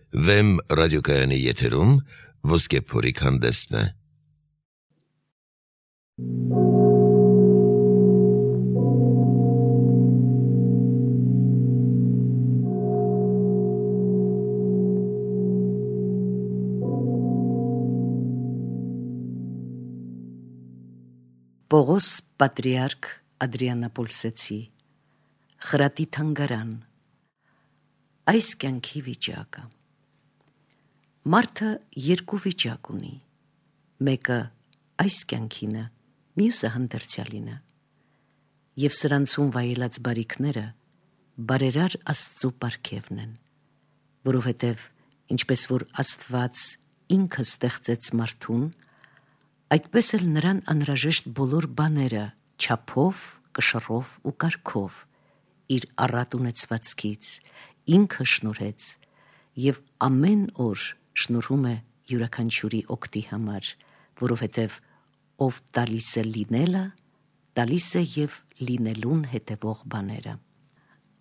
Վեմ ռադիոկայանի եթերում Ոսկե փորիկ հանդեսն է։ Պողոս պատրիարք Ադրիանապոլսեցի խրատի թանգարան այս կյանքի վիճակը մարդը երկու վիճակ ունի, մեկը այս կյանքինը, մյուսը հանդերձյալինը, և սրանցում վայելած բարիքները բարերար Աստծու պարգևն են, որովհետև ինչպես որ Աստված ինքը ստեղծեց մարդուն, այդպես էլ նրան անհրաժեշտ բոլոր բաները չափով, կշռով ու կարգով իր առատ ունեցվածքից ինքը շնորհեց և ամեն օր շնորհում է յուրաքանչյուրի օգտի համար, որովհետև ով տալիս է լինելը, տալիս է և լինելուն հետևող բաները։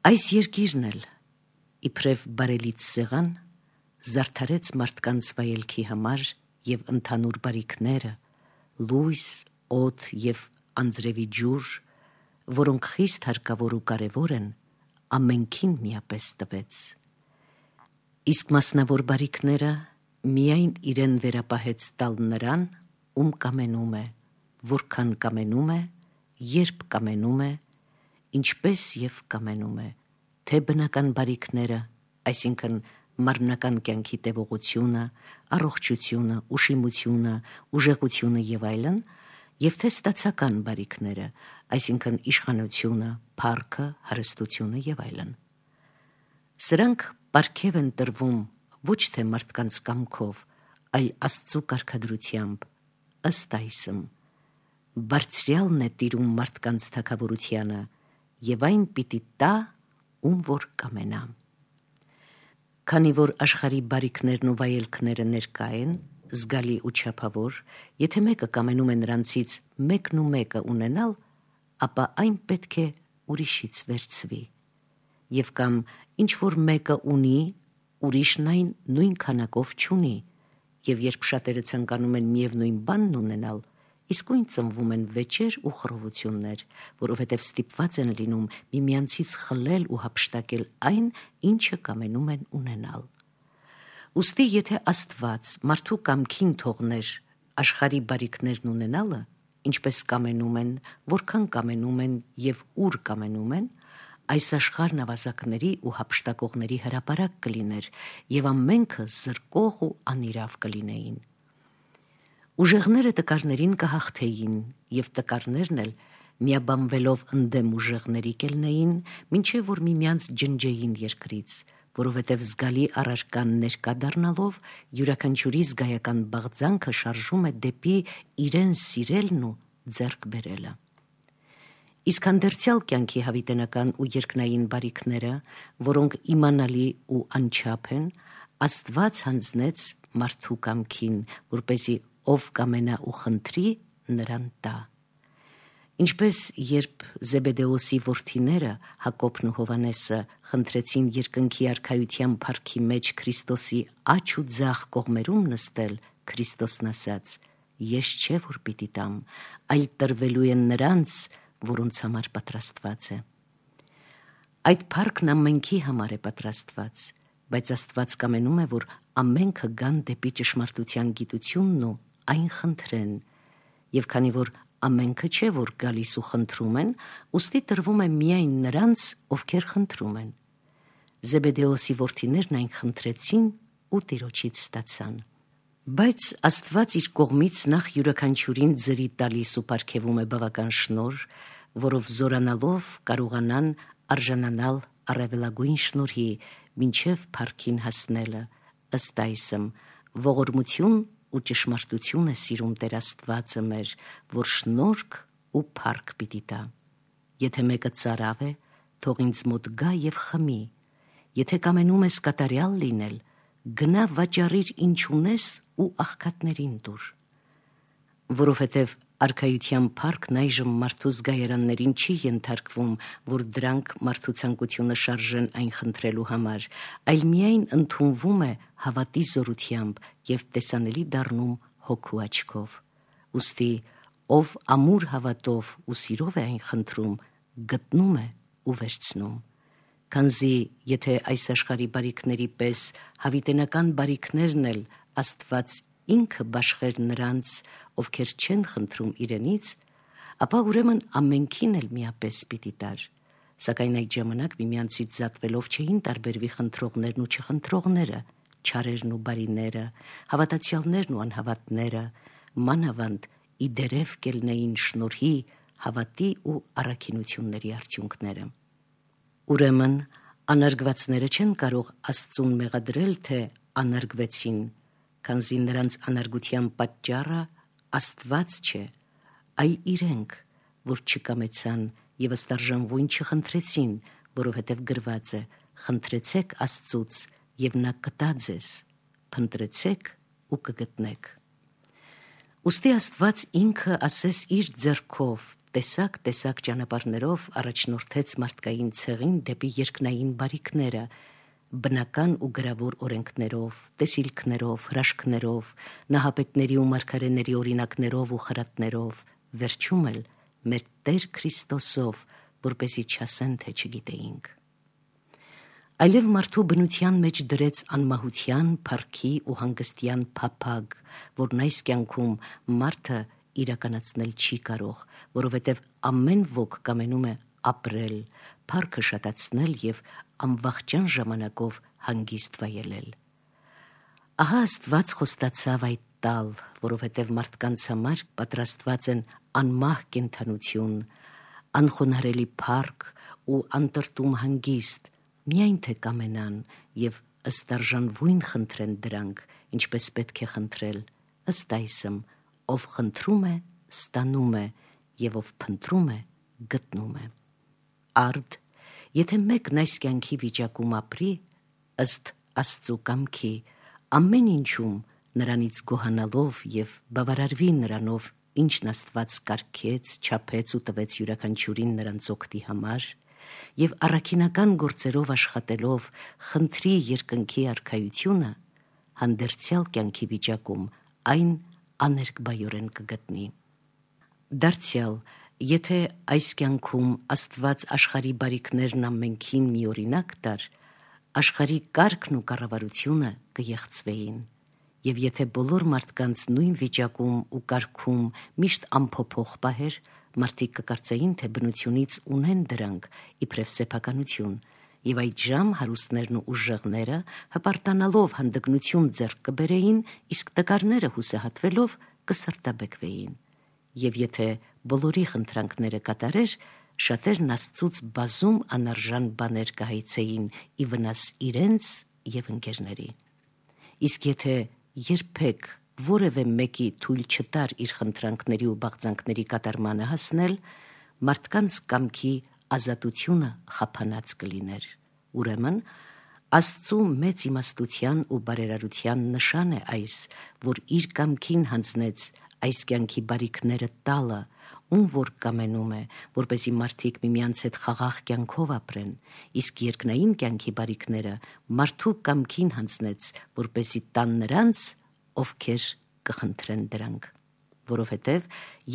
Այս երկիրն էլ իբրև բարելից սեղան զարդարեց մարդկանց վայելքի համար և ընդհանուր բարիքները, լույս, օդ և անձրևի ջուր, որոնք խիստ հարկավոր ու կարևոր են, ամենքին միապես տվեց։ Իսկ մասնավոր բարիքները միայն իրեն վերապահեց տալ նրան, ում կամենում է, որքան կամենում է, երբ կամենում է, ինչպես և կամենում է, թե բնական բարիքները, այսինքն մարմնական կյանքի տևողությունը, առողջությունը, ուշիմությունը, ուժեղությունը և այլն, և թե ստացական բարիքները, այսինքն իշխանությունը, փառքը, հարստությունը և այլն։ Սրանք պարգև են տրվում ոչ թե մարդկանց կամքով, այլ Աստծու կարգադրությամբ, ըստ այսմ, բարձրյալն է տիրում մարդկանց թագավորությանը և այն պիտի տա, ում որ կամենա։ Քանի որ աշխարհի բարիքներն ու վայելքները ներկա են, զգալի ու չափավոր, եթե մեկը կամենում է նրանցից մեկն ու մեկը ունենալ, ապա այն պետք է ուրիշից վերցվի, և կամ ինչ որ մեկը ունի, ուրիշն այն նույն քանակով չունի, և երբ շատերը ցանկանում են միևնույն բանն ունենալ, իսկույն ծնվում են վեճեր ու խռովություններ, որովհետև ստիպված են լինում միմյանցից խլել ու հափշտակել այն, ինչը կամենում են ունենալ։ Ուստի եթե Աստված մարդու կամքին թողներ աշխարհի բարիքներն ունենալը, ինչպես կամենում են, որքան կամենում են և ուր կամենում են, այս աշխարհն ավազակների ու հափշտակողների հրապարակ կլիներ և ամենքը զրկող ու անիրավ կլինեին։ Ուժեղները տկարներին կհաղթեին, և տկարներն էլ միաբանվելով ընդդեմ ուժեղների կելնեին, մինչև որ միմյանց ջնջեին երկրից, որովհետև զգալի առարկան ներկա դառնալով յուրաքանչյուրի զգայական բաղձանքը շարժում է դեպի իրեն սիրելն ու ձեռք բերելը։ Իսկ հանդերձյալ կյանքի հավիտենական ու երկնային բարիքները, որոնք իմանալի ու անչափ են, Աստված հանձնեց մարդու կամքին, որպեսզի ով կամենա ու խնդրի, նրան տա։ Ինչպես երբ Զեբեդեոսի որդիները Հակոբն ու Հովհաննեսը խնդրեցին երկնքի արքայության փառքի մեջ Քրիստոսի աջ ու ձախ կողմերում նստել, Քրիստոսն ասաց. «Ես չէ որ պիտի տամ, այլ տրվելու են նրանց, որոնց համար պատրաստված է»։ Այդ փառքն ամենքի համար է պատրաստված, բայց Աստված կամենում է, որ ամենքը գան դեպի ճշմարտության գիտությունն ու այն խնդրեն, և քանի որ ամենքը չէ որ գալիս ու խնդրում են, ուստի տրվում է միայն նրանց, ովքեր խնդրում են։ Զեբեդեոսի որդիներն այն խնդրեցին ու Տիրոջից ստացան։ Բայց Աստված իր կողմից նախ յուրաքանչյուրին ձրի տալիս ու պարգևում է բավական շնորհ, որով զորանալով կարողանան արժանանալ առավելագույն շնորհի, մինչև փառքին հասնելը, ըստ այսմ, ողորմություն ու ճշմարտություն է սիրում Տեր Աստվածը մեր, որ շնորհք ու փառք պիտի տա։ Եթե մեկը ծարավ է, թող ինձ մոտ գա և խմի, եթե կամենում ես կատարյալ լինել, գնա վաճառիր ինչ ունես ու աղքատներին տուր։ Որովհետև արքայության փառքն այժմ մարդու զգայարաններին չի ենթարկվում, որ դրանք մարդու ցանկությունը շարժեն այն խնդրելու համար, այլ միայն ընդունվում է հավատի զորությամբ և տեսանելի դառնում հոգու աչքով։ Ուստի ով ամուր հավատով ու սիրով է այն խնդրում, գտնում է ու վերցնում։ Քանզի եթե այս աշխարհի բարիքների պես հավիտենական բարիքներն էլ Աստված ինքը բաշխեր նրանց, ովքեր չեն խնդրում իրենից, ապա ուրեմն ամենքին էլ միապես պիտի տար։ Սակայն այդ ժամանակ միմյանցից զատվելով չէին տարբերվի խնդրողներն ու չխնդրողները, չարերն ու բարիները, հավատացյալներն ու անհավատները, մանավանդ իդերև կելնեին շնորհի, հավատի ու առաքինությունների արդյունքները։ Ուրեմն անարգվածները չեն կարող Աստծուն մեղադրել, թե անարգվեցին, քանզի նրանց անարգության պատճառը Աստված չէ, այլ իրենք, որ չկամեցան և ըստարժանվույն չխնդրեցին, որովհետև գրված է. խնդրեցեք Աստծուց և նա կտա ձեզ, փնտրեցեք ու կգտնեք։ Ուստի Աստված ինքը ասես իր ձեռքով տեսակ ճանապարհներով առաջնորդեց մարդկային ցեղին դեպի երկնային բարիքները, բնական ու գրավոր օրենքներով, տեսիլքներով, հրաշքներով, նահապետների ու մարգարեների օրինակներով ու խրատներով, վերջում էլ մեր Տեր Քրիստոսով, որպեսզի չասեն, թե չգիտեինք։ Այլև մարդու բնության մեջ դրեց անմահության, փառքի ու հանգստյան փափագ, որն այս կյանքում մարդը իրականացնել չի կարող, որովհետև ամեն ոք կամենում է ապրել, փառքը շատացնել և անվախճան ժամանակով հանգիստ վայելել։ Ահա Աստված խոստացավ այդ տալ, որովհետև մարդկանց համար պատրաստված են անմահ կենդանություն, անխոնարհելի փառք ու անտրտում հանգիստ, միայն թե կամենան և ըստարժանվույն խնդրեն դրանք, ինչպես պետք է խնդրել, ըստ այսմ, ով խնդրում է, ստանում է, և ով փնտրում է, գտնում է։ Արդ, եթե մեկն այս կյանքի վիճակում ապրի, ըստ Աստծու կամքի, ամեն ինչում նրանից գոհանալով և բավարարվի նրանով, ինչն Աստված կարգեց, չափեց ու տվեց յուրաքանչյուրին նրանց օգտի համար, և առաքինական գործերով աշխատելով խնդրի երկնքի արքայությունը, հանդերձյալ կյանքի վիճակում այն աներկբայորեն կգտնի։ Դարձյալ, եթե այս կյանքում Աստված աշխարհի բարիքներն ամենքին մի օրինակ տար, աշխարհի կարգն ու կառավարությունը կեղծվեին, և եթե բոլոր մարդկանց նույն վիճակում ու կարգում միշտ անփոփոխ պահեր, մարդիկ կկարծեին, թե բնությունից ունեն դրանք իբրև սեփականություն, և այդժամ հարուստներն ու ուժեղները հպարտանալով հանդգնություն ձեռք կբերեին, իսկ տկարները հուսահատվելով կսրտաբեկվեին։ Եվ եթե բոլորի խնդրանքները կատարեր, շատերն Աստծուց բազում անարժան բաներ կհայցեին ի վնաս իրենց և ընկերների։ Իսկ եթե երբեք որևէ մեկի թույլ չտար իր խնդրանքների ու բաղձանքների կատարմանը հասնել, մարդկանց կամքի ազատությունը խափանած կլիներ։ Ուրեմն, Աստծու մեծ իմաստության ու բարերարության նշան է այս, որ իր կամքին հանձնեց այս կյանքի բարիքները տալը, ում որ կամենում է, որպեսզի մարդիկ միմյանց հետ խաղաղ կյանքով ապրեն, իսկ երկնային կյանքի բարիքները մարդու կամքին հանձնեց, որպեսզի տան նրանց, ովքեր կխնդրեն դրանք։ Որովհետև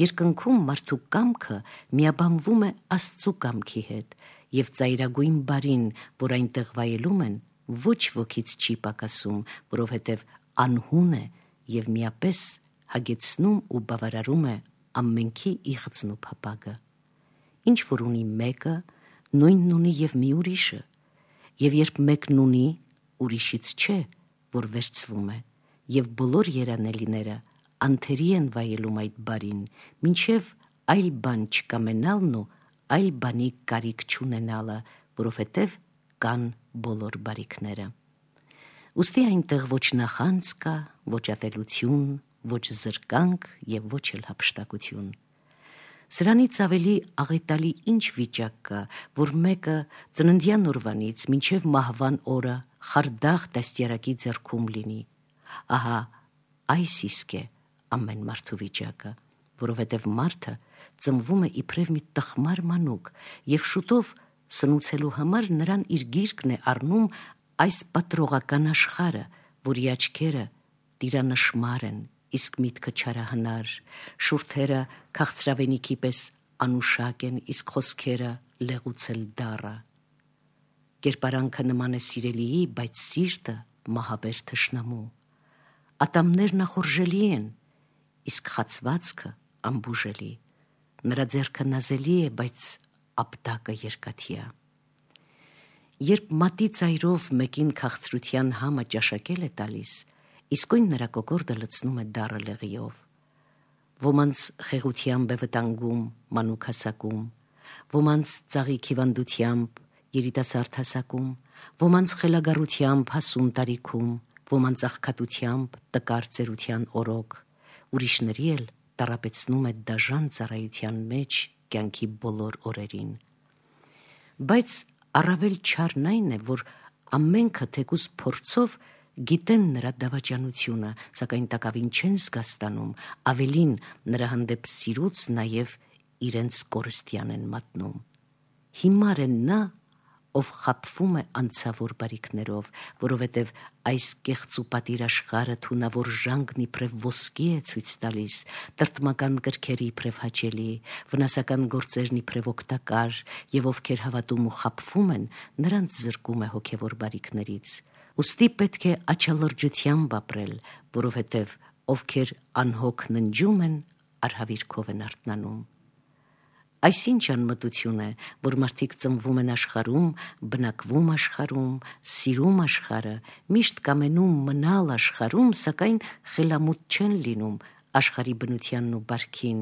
երկնքում մարդու կամքը միաբանվում է Աստծու կամքի հետ, և ծայրագույն բարին, որ այնտեղ վայելում են, ոչ ոքից չի պակասում, որովհետև անհուն է և միապես հագեցնում ու բավարարում է ամենքի իղձն ու փափագը։ Ինչ որ ունի մեկը, նույնն ունի և մի ուրիշը, և երբ մեկն ունի, ուրիշից չէ, որ վերցվում է, և բոլոր երանելիները անթերի են վայելում այդ բարին, մինչև այլ բան չկամենալն ու այլ բանի կարիք չունենալը, որովհետև կան բոլոր բարիքները։ Ուստի այնտեղ ոչ նախանձ կա, ոչ ատելություն, ոչ զրկանք և ոչ էլ հափշտակություն։ Սրանից ավելի աղետալի ինչ վիճակ կա, որ մեկը ծննդյան օրվանից մինչև մահվան օրը խարդախ դաստիարակի ձեռքում լինի։ Ահա այս իսկ է ամեն մարդու վիճակը, որովհետև մարդը ծնվում է իբրև մի տխմար մանուկ, և շուտով սնուցելու համար նրան իր գիրկն է առնում այս պատռողական աշխարհը, որի աչքերը տիրանշմար են, իսկ միտքը չարահնար, շուրթերը քաղցրավենիքի պես անուշակ են, իսկ խոսքերը լեղուցել դառը։ Կերպարանքը նման է սիրելիի, բայց սիրտը մահաբեր թշնամու։ Ատամներն ախորժելի են, իսկ խացվածքը անբուժելի։ Նրա ձեռքը նազելի է, բայց ապտակը երկաթյա։ Երբ մատի ծայրով մեկին քաղցրության համը ճաշակել է տալիս, իսկույն նրա կոկորդը լցնում է դառը լեղիով։ Ոմանց խեղությամբ է վտանգում, մանուկ հասակում, ոմանց ծաղիկ հիվանդությամբ, երիտասարդ հասակում, ոմանց խելագարությամբ հասուն տարիքում, ոմանց աղքատությամբ, տկար ծերության օրոք, ուրիշների էլ տառապեցնում է դաժան ծառայության մեջ կյանքի բոլոր օրերին։ Բայց առավել չարն այն է, որ ամենքը թեկուզ փորձով գիտեն նրա դավաճանությունը, սակայն տակավին չեն զգաստանում, ավելին նրա հանդեպ սիրուց նաև իրենց կորստյան են մատնում։ Հիմար է նա, ով խաբվում է անցավոր բարիքներով, որովհետև այս կեղծուպատիր աշխարհը թունավոր ժանգն իբրև ոսկի է ցույց տալիս, տրտմական կրքերի իբրև հաճելի, վնասական գործերն իբրև օգտակար, եւ ովքեր հավատում ու խաբվում են, նրանց զրկում է հոգևոր բարիքներից։ Ուստի պետք է աչալրջությամբ ապրել, որովհետև ովքեր անհոգ ննջում են, արհավիրքով են արթնանում։ Այսինչ անմտություն է, որ մարդիկ ծնվում են աշխարհում, բնակվում աշխարհում, սիրում աշխարհը, միշտ կամենում մնալ աշխարհում, սակայն խելամուտ չեն լինում աշխարհի բնությանն ու բարքին,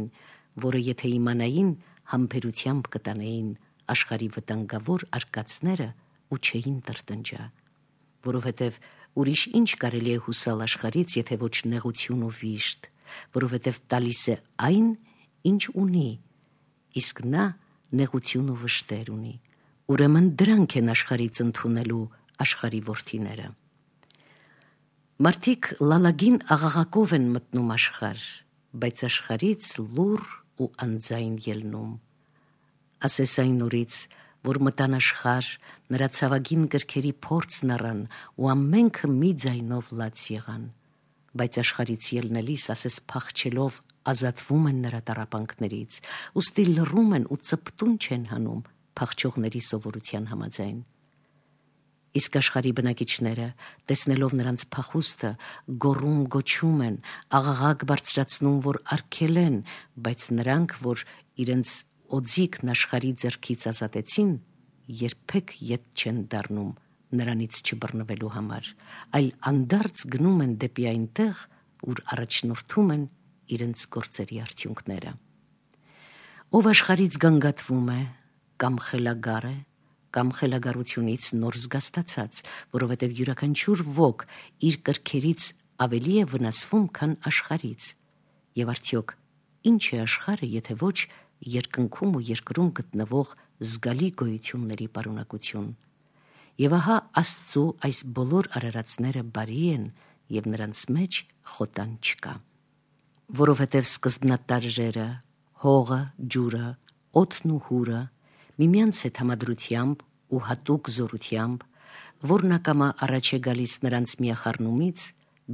որը եթե իմանային, համբերությամբ կտանեին աշխարհի վտանգավոր արկածները ու չէին տրտնջա, որովհետև ուրիշ ինչ կարելի է հուսալ աշխարհից, եթե ոչ նեղություն ու վիշտ, որովհետև տալիս է այն, ինչ ունի, իսկ նա նեղություն ու վշտեր ունի, ուրեմն դրանք են աշխարհից ընդունելու աշխարհի որդիները։ Մարդիկ լալագին աղաղակով են մտնում աշխարհ, բայց աշխարհից լուռ ու անձայն ելնում։ Ասես այն օրից, որ մտան աշխարհ, նրա ցավագին կրքերի փորձն առան ու ամենքը մի ձայնով լաց եղան, բայց աշխարհից ելնելիս ասես փախչելով ազատվում են նրա տառապանքներից, ուստի լռում են ու ծպտուն չեն հանում փախչողների սովորության համաձայն։ Իսկ աշխարհի բնակիչները, տեսնելով նրանց փախուստը, գոռում գոչում են, աղաղակ բարձրացնում, որ արգելեն, բայց նրանք, որ իրենց օձիքն աշխարհի ձեռքից ազատեցին, երբեք ետ չեն դառնում նրանից չբռնվելու համար, այլ անդարձ գնում են դեպի այնտեղ, ուր առաջնորդում են իրենց գործերի արդյունքները։ Ով աշխարհից գանգատվում է, կամ խելագար է, կամ խելագարությունից նոր զգաստացած, որովհետև յուրաքանչյուր ոք իր կրքերից ավելի է վնասվում, քան աշխարհից։ Եվ արդյոք ինչ է աշխարհը, եթե ոչ երկնքում ու երկրում գտնվող զգալի գոյությունների պարունակություն։ Եվ ահա Աստծու այս բոլոր արարածները բարի են, եւ նրանց մեջ խոտան չկա։ Որովհետև սկզբնատարժերը, հողը, ջուրը, օդն ու հուրը միմյանց հետ համադրությամբ ու հատուկ զորությամբ, որն ակամա առաջ է գալիս նրանց միախառնումից,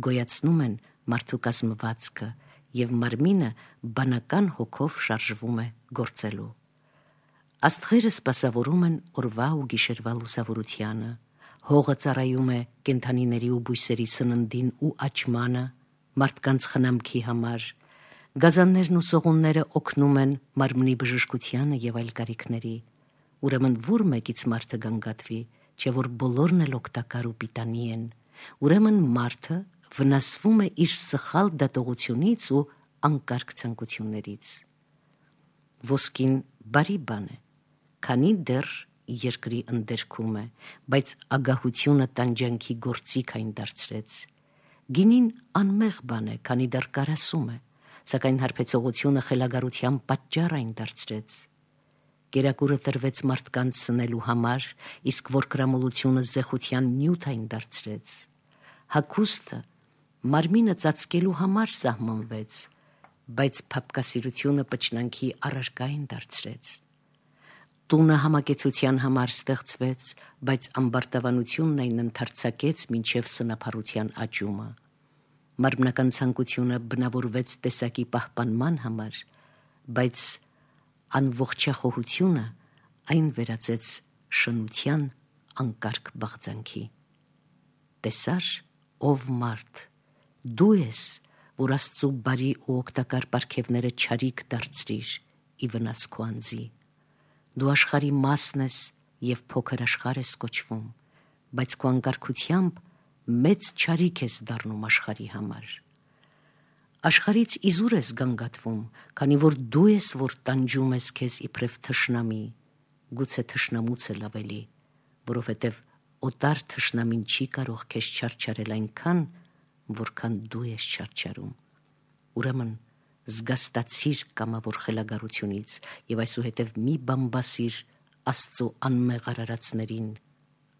գոյացնում են մարդու կազմվածքը եւ մարմինը բանական հոգով շարժվում է գործելու։ Աստղերը սպասավորում են օրվա ու գիշերվա լուսավորությանը, հողը ծառայում է կենդանիների ու բույսերի սննդին ու աճմանը, մարդկանց խնամքի համար, գազաններն ու սողունները օգնում են մարմնի բժշկությանը եւ այլ կարիքների։ Ուրեմն որ մեկից մարդը գանգատվի, չէ որ բոլորն էլ օգտակար ու պիտանի են, ուրեմն մարդը վնասվում է իր սխալ դատողությունից ու անկարգ ցանկություններից։ Ոսկին բարի բան է, քանի դեռ երկրի ընդերքում է, բայց ագահությունը տանջանքի գործիք այն դարձրեց։ Գինին անմեղ բան է, քանի դեռ կարասում է, սակայն հարբեցողությունը խելագարության պատճառ այն դարձրեց։ Կերակուրը տրվեց մարդկանց սնելու համար, իսկ որկրամոլությունը զեխության նյութ այն դարձրեց։ Հագուստը մարմինը ծածկելու համար սահմանվեց, բայց փափկասիրությունը պճնանքի առարկա այն դարձրեց։ Տունը համակեցության համար ստեղծվեց, բայց ամբարտավանությունն այն ընդարձակեց մինչև սնափառության աճումը։ Մարմնական ցանկությունը բնավորվեց տեսակի պահպանման համար, բայց անողջախոհությունը այն վերածեց շնության անկարգ բաղձանքի։ Տեսար, ով մարդ, դու ես, որ Աստծու բարի ու օգտակար պարգևները չարիք դարձրիր ի վնաս քո անձի։ Դու աշխարհի մասն ես և փոքր աշխարհ ես կոչվում, բայց քո անկարգությամբ մեծ չարիք ես դառնում աշխարհի համար։ Աշխարհից իզուր ես գանգատվում, քանի որ դու ես, որ տանջում ես քեզ իբրև թշնամի, գուցե թշնամուց էլ ավելի, որովհետև օտար թշնամին չի կարող քեզ չարչարել այնքան, որքան դու ես չարչարում։ Ուրեմն զգաստացիր կամավոր խելագարությունից և այսուհետև մի բամբասիր Աստծու անմեղ արարածներին,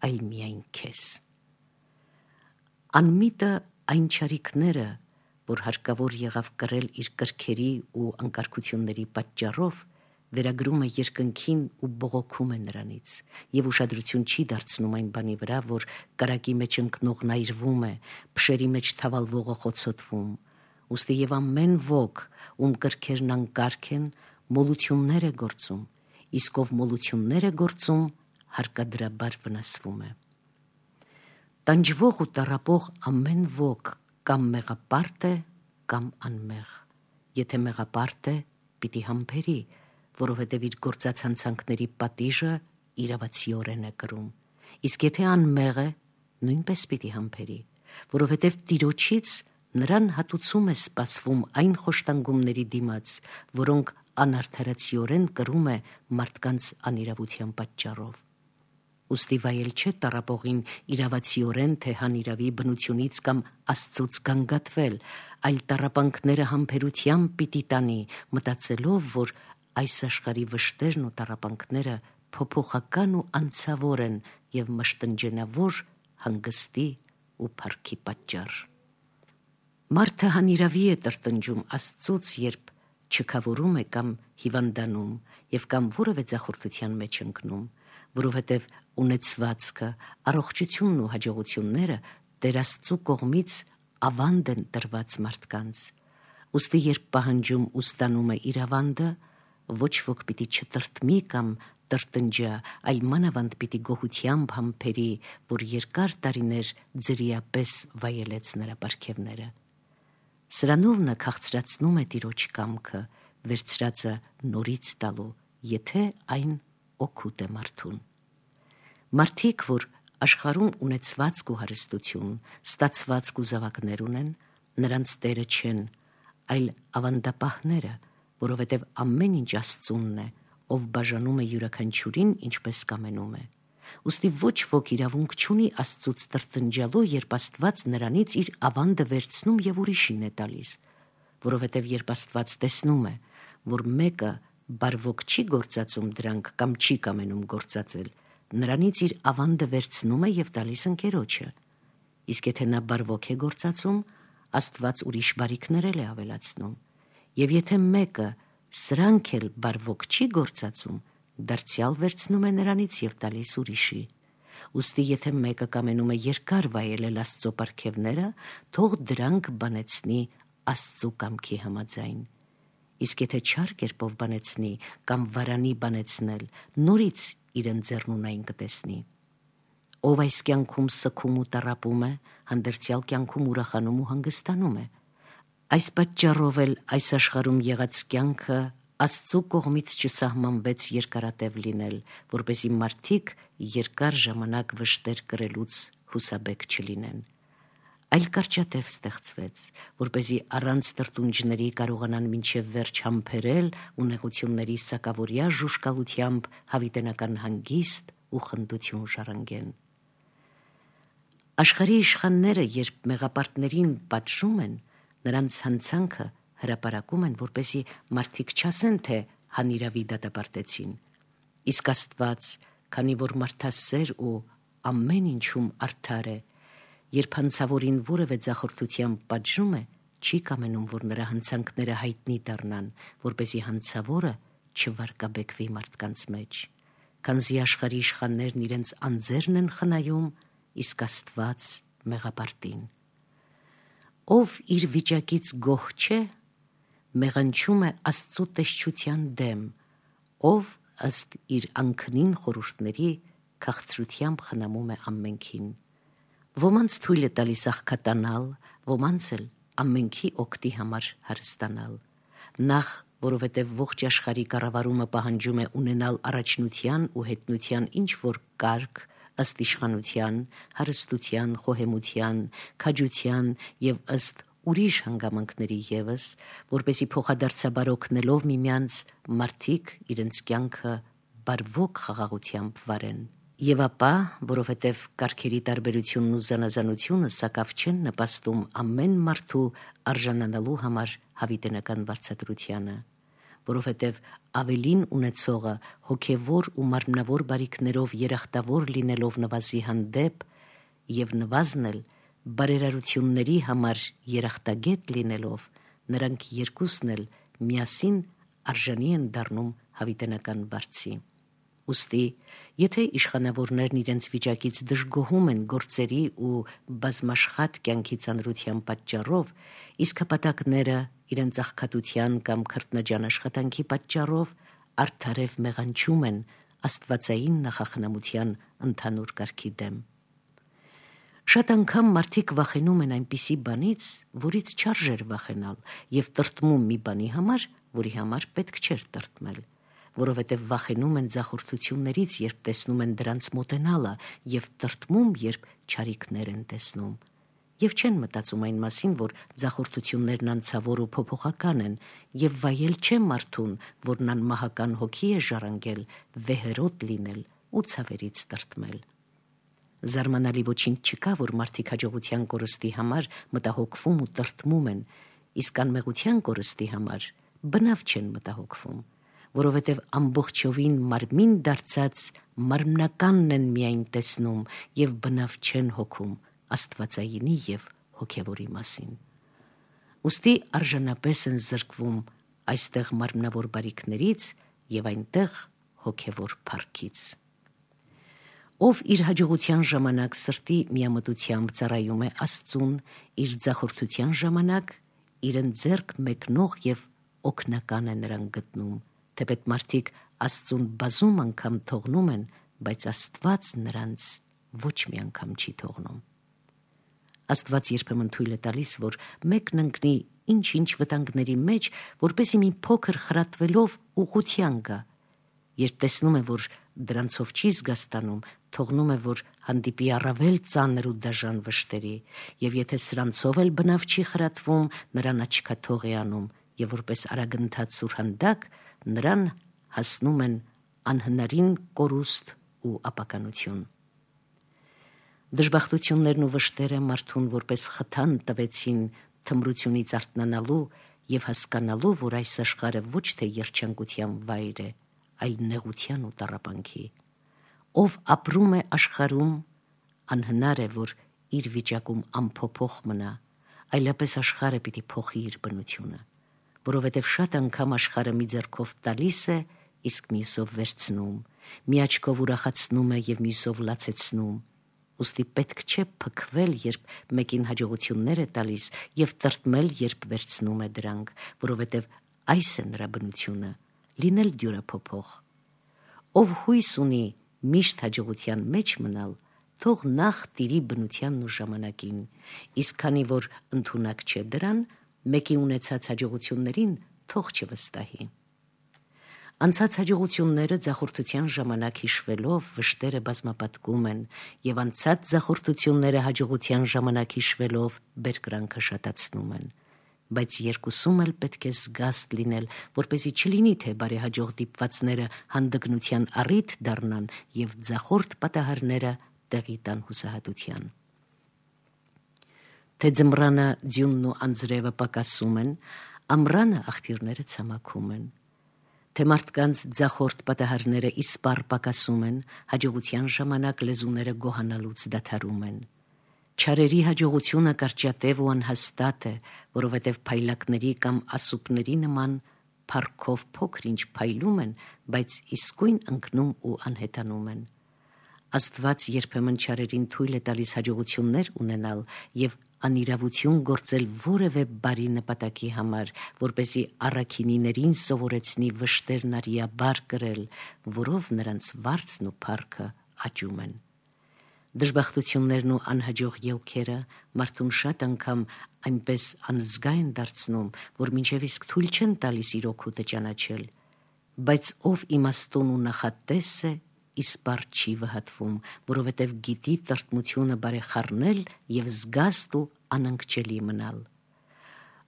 այլ միայն քեզ։ Անմիտը այն չարիքները, որ հարկավոր եղավ կրել իր կրքերի ու անկարգությունների պատճառով, վերագրում է երկնքին ու բողոքում է նրանից, և ուշադրություն չի դարձնում այն բանի վրա, որ կրակի մեջ ընկնողն այրվում է, փշերի մեջ թավալվողը խոցոտվում, ուստի և ամեն ոք, ում կրքերն անկարգ են, մոլություններ է գործում, իսկ ով մոլություններ է գործում, հարկադրաբար վնասվում է։ Տանջվող ու տառապող ամեն ոք կամ մեղապարտ է, կամ անմեղ։ Եթե մեղապարտ է, պիտի համբերի, որովհետև իր գործած հանցանքների պատիժը իրավացիորեն է կրում, իսկ եթե անմեղ է, նույնպես պիտի համբերի, որովհետև Տիրոջից նրան հատուցում է սպասվում այն խոշտանգումների դիմաց, որոնք անարդարացիորեն կրում է մարդկանց անիրավության պատճառով։ Ուստի վայել չէ տառապողին իրավացիորեն թե հանիրավի բնությունից կամ Աստծուց գանգատվել, այլ տառապանքները համբերությամբ պիտի տանի, մտածելով, որ այս աշխարհի վշտերն ու տառապանքները փոփոխական ու անցավոր են և մշտնջենավոր հանգստի ու փառքի պատճառ։ Մարդը հանիրավի է տրտնջում Աստծուց, երբ չքավորում է կամ հիվանդանում և կամ որևէ ձախորդության մեջ ընկնում, որովհետև ունեցվածքը, առողջությունն ու հաջողությունները Տեր Աստծու կողմից ավանդ են տրված մարդկանց։ Ուստի երբ պահանջում ու ստանում է իր ավանդը, ոչ ոք պիտի չտրտմի կամ տրտնջա, այլ մանավանդ պիտի գոհությամբ համբերի, որ երկար տարիներ ձրիապես վայելեց նրա պարգևները։ Սրանով նա քաղցրացնում է Տիրոջ կամքը, վերցրածը նորից տալու, եթե այն օգուտ է մարդուն։ Մարդիկ, որ աշխարհում ունեցվածք ու հարստություն, ստացվածք ու զավակներ ունեն, նրանց Տերը չեն, այլ ավանդապահները, որովհետև ամեն ինչ Աստծունն է, ով բաժանում է յուրաքանչյուրին ինչպես կամենում է։ Ուստի ոչ ոք իրավունք չունի Աստծուց տրտնջալու, երբ Աստված նրանից իր ավանդը վերցնում և ուրիշին է տալիս, որովհետև երբ Աստված տեսնում է, որ մեկը բարվոք չի գործածում դրանք կամ չի կամենում գործածել, նրանից իր ավանդը վերցնում է և տալիս ընկերոջը, իսկ եթե նա բարվոք է գործածում, Աստված ուրիշ բարիքներ էլ է ավելացնում, և եթե մեկը սրանք էլ բարվոք չի գործածում, դարձյալ վերցնում է նրանից և տալիս ուրիշի։ Ուստի եթե մեկը կամենում է երկար վայելել Աստծո պարգևները, թող դրանք բանեցնի Աստծու կամքի համաձայն։ Իսկ եթե չար կերպով բանեցնի կամ վարանի բանեցնել, նորից իր ընձեռնունայն կտեսնի։ Ով այս կյանքում սգում ու տառապում է, հանդերձյալ կյանքում ուրախանում ու հանգստանում է։ Այս պատճառով էլ այս աշխարհում եղած կյանքը Աստծու կողմից չսահմանվեց երկարատև լինել, որպեսզի մարդիկ երկար ժամանակ վշտեր կրելուց հուսաբեկ չլինեն, այլ կարճատև ստեղծվեց, որպեսզի առանց տրտունջների կարողանան մինչև վերջ համբերել ու նեղությունների սակավորյա ժուժկալությամբ հավիտենական հանգիստ ու խնդություն ժառանգեն։ Աշխարհի իշխանները, երբ մեղապարտներին պատժում են, նրանց հանցանքը հրապարակում են, որպեսզի մարդիկ չասեն, թե հանիրավի դատապարտեցին, իսկ Աստված, քանի որ մարդասեր ու ամեն ինչում արդար է, երբ հանցավորին որևէ ձախորդությամբ պատժում է, չի կամենում, որ նրա հանցանքները հայտնի դառնան, որպեսզի հանցավորը չվարկաբեկվի մարդկանց մեջ։ քանզի աշխարհի իշխաններն իրենց անձերն են խնայում, իսկ Աստված մեղապարտին։ Ով իր վիճակից գոհ չէ, մեղանչում է Աստծու տեսչության դեմ, ով ըստ իր անքնին խորհուրդների քաղցրությամբ խնամում է ամենքին։ Ոմանց թույլ է տալիս աղքատանալ, ոմանց էլ ամենքի օգտի համար հարստանալ։ Նախ, որովհետև ողջ աշխարհի կառավարումը պահանջում է ունենալ առաջնության ու հետնության ինչ-որ կարգ, ըստ իշխանության, հարստության, խոհեմության, քաջության և ըստ ուրիշ հանգամանքների ևս, որպեսզի փոխադարձաբար օգնելով միմյանց մարդիկ իրենց կյանքը բարվոք խաղաղությամբ վարեն։ Եվ ապա, որովհետև կարգերի տարբերությունն ու զանազանությունը սակավ չեն նպաստում ամեն մարդու արժանանալու համար հավիտենական վարձատրությանը, որովհետև ավելին ունեցողը հոգևոր ու մարմնավոր բարիքներով երախտավոր լինելով նվազի հանդեպ և նվազն էլ բարերարությունների համար երախտագետ լինելով, նրանք երկուսն էլ միասին արժանի են դառնում հավիտենական վարձի։ Ուստի, եթե իշխանավորներն իրենց վիճակից դժգոհում են գործերի ու բազմաշխատ կյանքի ծանրության պատճառով, իսկ հպատակները իրենց աղքատության կամ քրտնաջան աշխատանքի պատճառով արդարև մեղանչում են աստվածային նախախնամության ընդհանուր կարգի դեմ։ Շատ անգամ մարդիկ վախենում են այնպիսի բանից, որից չարժեր վախենալ, և տրտմում մի բանի համար, որի համար պետք չէր տրտմել, որովհետև վախենում են ձախորդություններից, երբ տեսնում են դրանց մոտենալը, և տրտմում, երբ չարիքներ են տեսնում, և չեն մտածում այն մասին, որ ձախորդություններն անցավոր ու փոփոխական են, և վայել չէ մարդուն, որն անմահական հոգի է ժառանգել, վեհերոտ լինել ու ցավերից տրտմել։ Զարմանալի ոչինչ չկա, որ մարդիկ հաջողության կորստի համար մտահոգվում ու տրտմում են, իսկ անմեղության կորստի համար բնավ չեն մտահոգվում, որովհետև ամբողջովին մարմին դարձած մարմնականն են միայն տեսնում և բնավ չեն հոգում աստվածայինի և հոգևորի մասին։ Ուստի արժանապես են զրկվում այստեղ մարմնավոր բարիքներից և այնտեղ հոգևոր փառքից։ Ով իր հաջողության ժամանակ սրտի միամտությամբ ծառայում է Աստծուն, իր ձախորդության ժամանակ իրեն ձեռք մեկնող և օգնական է նրան գտնում, թեպետ մարդիկ Աստծուն բազում անգամ թողնում են, բայց Աստված նրանց ոչ մի անգամ չի թողնում։ Աստված երբեմն թույլ է տալիս, որ մեկն ընկնի ինչ-ինչ վտանգների մեջ, որպեսզի մի փոքր խրատվելով ուղղության գա, երբ տեսնում է, որ դրանցով չի զգաստանում, թողնում է, որ հանդիպի առավել ծանր ու դաժան վշտերի, և եթե սրանցով էլ բնավ չի խրատվում, նրան աչքաթող է անում, և որպես արագընթաց սուրհանդակ նրան հասնում են անհնարին կորուստ ու ապականություն։ Դժբախտություններն ու վշտերը մարդուն որպես խթան տվեցին թմրությունից արթնանալու և հասկանալու, որ այս աշխարհը ոչ թե երջանկության վայր է, այլ նեղության ու տառապանքի։ Ով ապրում է աշխարհում, անհնար է, որ իր վիճակում անփոփոխ մնա, այլապես աշխարհը պիտի փոխի իր բնությունը, որովհետև շատ անգամ աշխարհը մի ձեռքով տալիս է, իսկ մյուսով վերցնում, մի աչքով ուրախացնում է և մյուսով լացեցնում։ Ուստի պետք չէ փքվել, երբ մեկին հաջողություններ է տալիս, և տրտմել, երբ վերցնում է դրանք, որովհետև այս է նրա բնությունը՝ լինել դյուրափոփոխ։ Ով հույս ունի միշտ հաջողության մեջ մնալ, թող նախ տիրի բնությանն ու ժամանակին, իսկ քանի որ ընդունակ չէ դրան, մեկի ունեցած հաջողություններին թող չվստահի։ Անցած հաջողությունները ձախորդության ժամանակ հիշվելով վշտերը բազմապատկում են, և անցած ձախորդությունները հաջողության ժամանակ հիշվելով բերկրանքը շատացնում են, բայց երկուսում էլ պետք է զգաստ լինել, որպեսզի չլինի, թե բարեհաջող դիպվածները հանդգնության առիթ դառնան և ձախորդ պատահարները տեղի տան հուսահատության։ Թե ձմռանը ձյունն ու անձրևը պակասում են, ամռանը աղբյուրները ցամաքում են, թե մարդկանց ձախորդ պատահարները իսպառ պակասում են, հաջողության ժամանակ լեզուները գոհանալուց դադարում են։ Չարերի հաջողությունը կարճատև ու անհաստատ է, որովհետև փայլակների կամ ասուպների նման փառքով փոքր ինչ փայլում են, բայց իսկույն ընկնում ու անհետանում են։ Աստված երբեմն չարերին թույլ է տալիս հաջողություններ ունենալ եւ անիրավություն գործել որևէ բարի նպատակի համար, որպեսզի առաքինիներին սովորեցնի վշտերն արիաբար կրել, որով նրանց վարձն ու փառքը աճում են։ Դժբախտություններն ու անհաջող ելքերը մարդուն շատ անգամ այնպես անզգա են դարձնում, որ մինչև իսկ թույլ չեն տալիս իր օգուտը ճանաչել, բայց ով իմաստուն ու նախատես է, իսպառ չի վհատվում, որովհետև գիտի տրտմությունը բարեխառնել եւ զգաստ ու անընկճելի մնալ։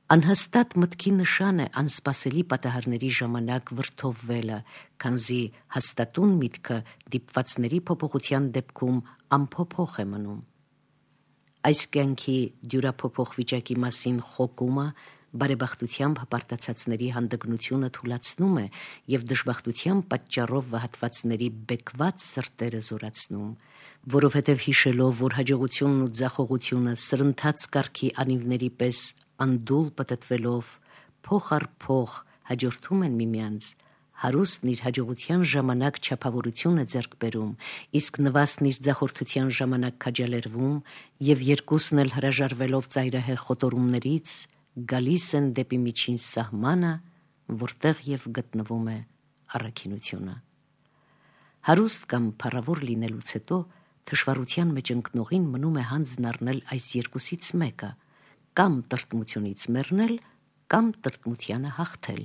Անհաստատ մտքի նշան է անսպասելի պատահարների ժամանակ վրդովվելը, քանզի հաստատուն միտքը դիպվածների փոփոխության դեպքում անփոփոխ է մնում։ Այս կյանքի դյուրափոփոխ վիճակի մասին խոկումը բարեբախտությամբ հպարտացածների հանդգնությունը թուլացնում է եւ դժբախտության պատճառով վհատվածների բեկված սրտերը զորացնում, որովհետև հիշելով, որ հաջողությունն ու ձախողությունը սրընթաց կարգի անիվների պես անդուլ պտտվելով փոխ առ փոխ հաջորդում են միմյանց, հարուստն իր հաջողության ժամանակ չափավորություն է ձեռք բերում, իսկ նվաստն իր ձախորդության ժամանակ քաջալերվում եւ երկուսն էլ հրաժարվելով ծայրահեղ խոտորումներից գալիս են դեպի միջին սահմանը, որտեղ եւ գտնվում է առաքինությունը։ Հարուստ կամ փառավոր լինելուց հետո թշվառության մեջ ընկնողին մնում է հանձն առնել այս երկուսից մեկը, կամ տրտմությունից մեռնել, կամ տրտմությանը հաղթել։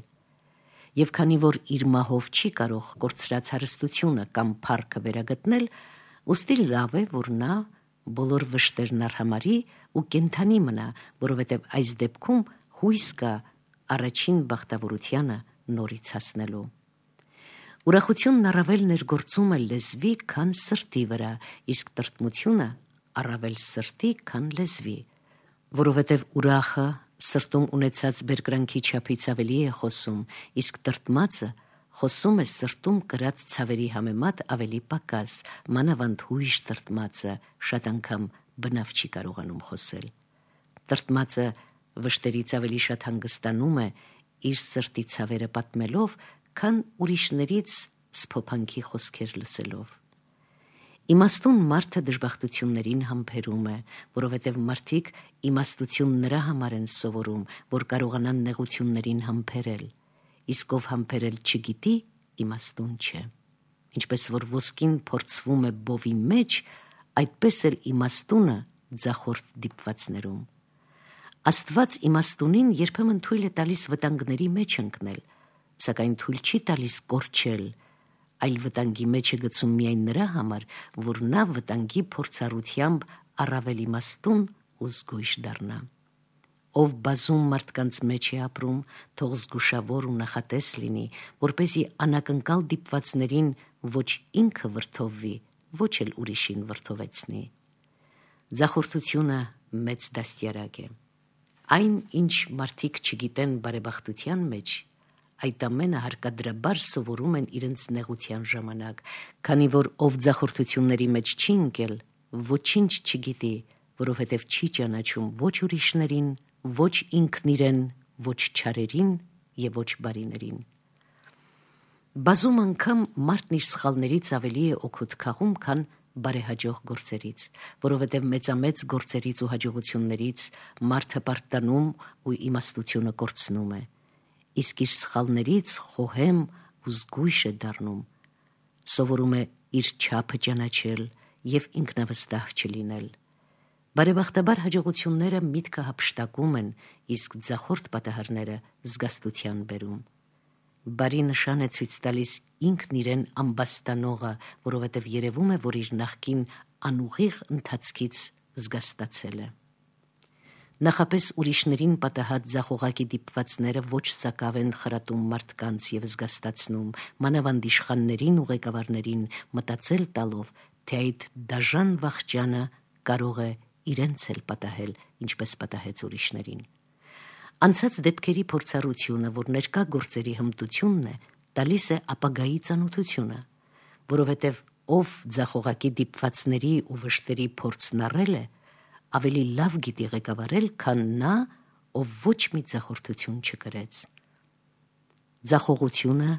Եվ քանի որ իր մահով չի կարող կորցրած հարստությունը կամ փառքը վերագտնել, ուստի լավ է, որ նա բոլոր վշտերն արհամարի ու կենթանի մնա, որովհետև այս դեպքում հույս կա առաջին բախտավորությանը նորից հասնելու։ Ուրախությունն առավել ներգործում է լեզվի, քան սրտի վրա, իսկ տրտմությունը առավել սրտի, քան լեզվի, որովհետև ուրախը սրտում ունեցած բերկրանքի չափից ավելի է խոսում, իսկ տրտմածը խոսում է սրտում կրած ցավերի համեմատ ավելի պակաս, մանավանդ հույժ տրտմածը շատ անգամ բնավ չի կարողանում խոսել։ Տրտմածը վշտերից ավելի շատ հանգստանում է իր սրտի ցավերը պատմելով, քան ուրիշներից սփոփանքի խոսքեր լսելով։ Իմաստուն մարդը դժբախտություններին համբերում է, որովհետև մարդիկ իմաստություն նրա համար են սովորում, որ կարողանան նեղություններին համբերել, իսկ ով համբերել չգիտի, իմաստուն չէ։ Ինչպես որ ոսկին փորձվում է բովի մեջ, այդպես էլ իմաստունը ձախորդ դիպվածներում։ Աստված իմաստունին երբեմն թույլ է տալիս վտանգների մեջ ընկնել, սակայն թույլ չի տալիս կորչել, այլ վտանգի մեջ է գցում միայն նրա համար, որ նա վտանգի փորձառությամբ առավել իմաստուն ու զգույշ դառնա։ Ով բազում մարդկանց մեջ է ապրում, թող զգուշավոր ու նախատես լինի, որպեսզի անակնկալ դիպվածներին ոչ ինքը վրդովվի, ոչ էլ ուրիշին վրդովեցնի։ Ձախորդությունը մեծ դաստիարակ է։ Այն, ինչ մարդիկ չգիտեն բարեբախտության մեջ, այդ ամենը հարկադրաբար սովորում են իրենց նեղության ժամանակ, քանի որ ով ձախորդությունների մեջ չի ընկել, ոչինչ չգիտի, որովհետև չի ճանաչում ոչ ուրիշներին, ոչ ինքն իրեն, ոչ չարերին եւ ոչ բարիներին։ Բազում անգամ մարդն իր սխալներից ավելի է օգուտ քաղում, քան բարեհաջող գործերից, որովհետև մեծամեծ գործերից ու հաջողություններից մարդը պարտանում ու իմաստությունը կորցնում է, իսկ իր սխալներից խոհեմ ու զգույշ է դառնում, սովորում է իր չափը ճանաչել եւ ինքնավստահ չլինել։ Բարեբախտաբար հաջողությունները միտքը հափշտակում են, իսկ ձախորդ պատահարները զգաստության բերում։ Բարի նշան է ցույց տալիս ինքն իրեն ամբաստանողը, որովհետև երևում է, որ իր նախկին անուղիղ ընթացքից զգաստացել է։ Նախապես ուրիշներին պատահած ձախողակի դիպվածները ոչ սակավ են խրատում մարդկանց եւ զգաստացնում, մանավանդ իշխաններին ու ղեկավարներին մտածել տալով, թե այդ դաժան վախճանը կարող է իրենց էլ պատահել, ինչպես պատահեց ուրիշներին։ Անցած դեպքերի փորձառությունը, որ ներկա գործերի հմտությունն է, տալիս է ապագայի ծանոթությունը, որովհետև ով ձախողակի դիպվածների ու վշտերի փորձն առել է, ավելի լավ գիտի ղեկավարել, քան նա, ով ոչ մի ձախորդություն չկրեց։ Ձախողությունը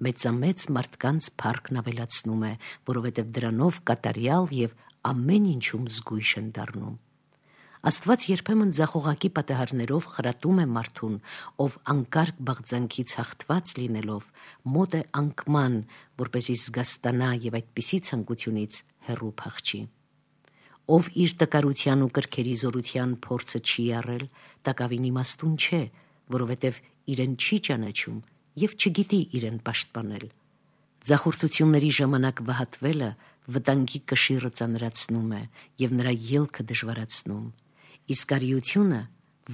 մեծամեծ մարդկանց փառքն ավելացնում է, որովհետև դրանով կատարյալ եւ ամեն ինչում զգույշ են դառնում։ Աստված երբեմն ձախողակի պատահարներով խրատում է մարդուն, ով անկարգ բաղձանքից հաղթված լինելով մոտ է անկման, որպեսզի զգաստանա եւ այդպիսի ցանկությունից հեռու փախչի։ Ով իր տկարության ու կրքերի զորության փորձը չի առել, տակավին իմաստուն չէ, որովհետև իրեն չի ճանաչում եւ չգիտի իրեն պաշտպանել։ Ձախորդությունների ժամանակ վհատվելը վտանգի կշիռը ծանրացնում է եւ նրա ելքը դժվարացնում, իսկ արիությունը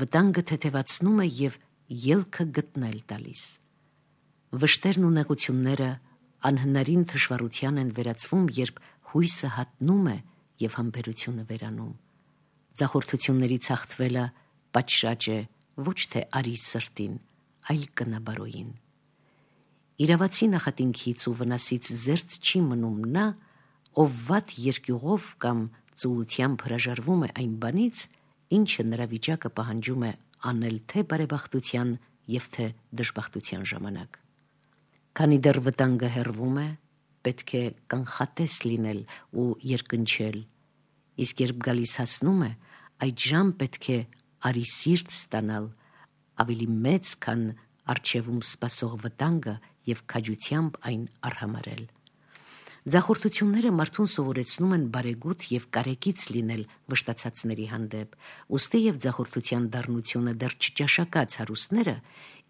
վտանգը թեթևացնում է եւ ելքը գտնել տալիս։ Վշտերն ու նեղությունները անհնարին թշվառության են վերածվում, երբ հույսը հատնում է եւ համբերությունը վերանում։ Ձախորդություններից հաղթվելը պատշաճ է ոչ թե արի սրտին, այլ կնաբարոյին։ Իրավացի նախատինքից ու վնասից զերծ չի մնում նա, ով վատ երկյուղով կամ ծուլությամբ հրաժարվում է այն բանից, ինչը նրա վիճակը պահանջում է անել թե բարեբախտության եւ թե դժբախտության ժամանակ։ Քանի դեռ վտանգը հեռվում է, պետք է կանխատես լինել ու երկնչել, իսկ երբ գալիս հասնում է, այդժամ պետք է արի սիրտ ստանալ, ավելի մեծ, քան առջևում սպասող վտանգը եւ քաջությամբ այն արհամարել։ Ձախորդությունները մարդուն սովորեցնում են բարեգութ եւ կարեկից լինել վշտացածների հանդեպ, ուստի եւ ձախորդության դառնությունը դեռ չճաշակած հարուստները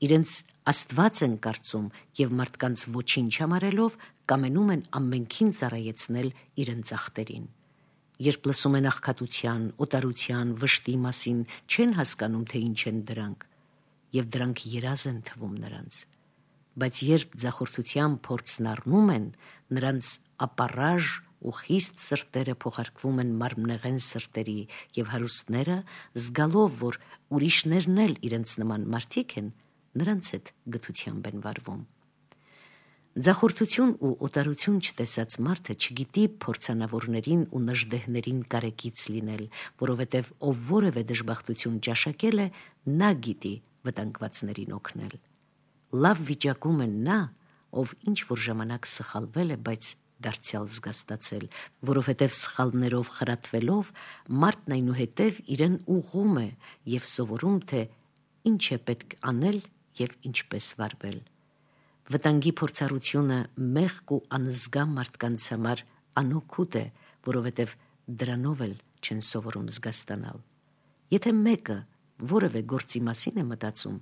իրենց Աստված են կարծում եւ մարդկանց ոչինչ համարելով կամենում են ամենքին ծառայեցնել իրենց ախտերին։ Երբ լսում են աղքատության, օտարության, վշտի մասին, չեն հասկանում, թե ինչ են դրանք, եւ դրանք երազ են թվում նրանց։ Բայց երբ ձախորդության փորձն առնում են, նրանց ապառաժ ու խիստ սրտերը փոխարկվում են մարմնեղեն սրտերի եւ հարուստները, զգալով, որ ուրիշներն էլ իրենց նման մարդիկ են, նրանց հետ գթությամբ են վարվում։ Ձախորդություն ու օտարություն չտեսած մարդը չգիտի փորձանավորներին ու նժդեհներին կարեկից լինել, որովհետև ով որևէ դժբախտություն ճաշակել է, նա գիտի վտանգվածներին օգնել։ Լավ վիճակում է նա, ով ինչ որ ժամանակ սխալվել է, բայց դարձյալ զգաստացել, որովհետև սխալներով խրատվելով մարդն այնուհետև իրեն ուղղում է եւ սովորում, թե ինչ է պետք անել եւ ինչպես վարվել։ Վտանգի փորձառությունը մեղք ու անզգա մարդկանց համար անօգուտ է, որովհետև դրանով էլ չեն սովորում զգաստանալ։ Եթե մեկը որևէ գործի մասին է մտածում,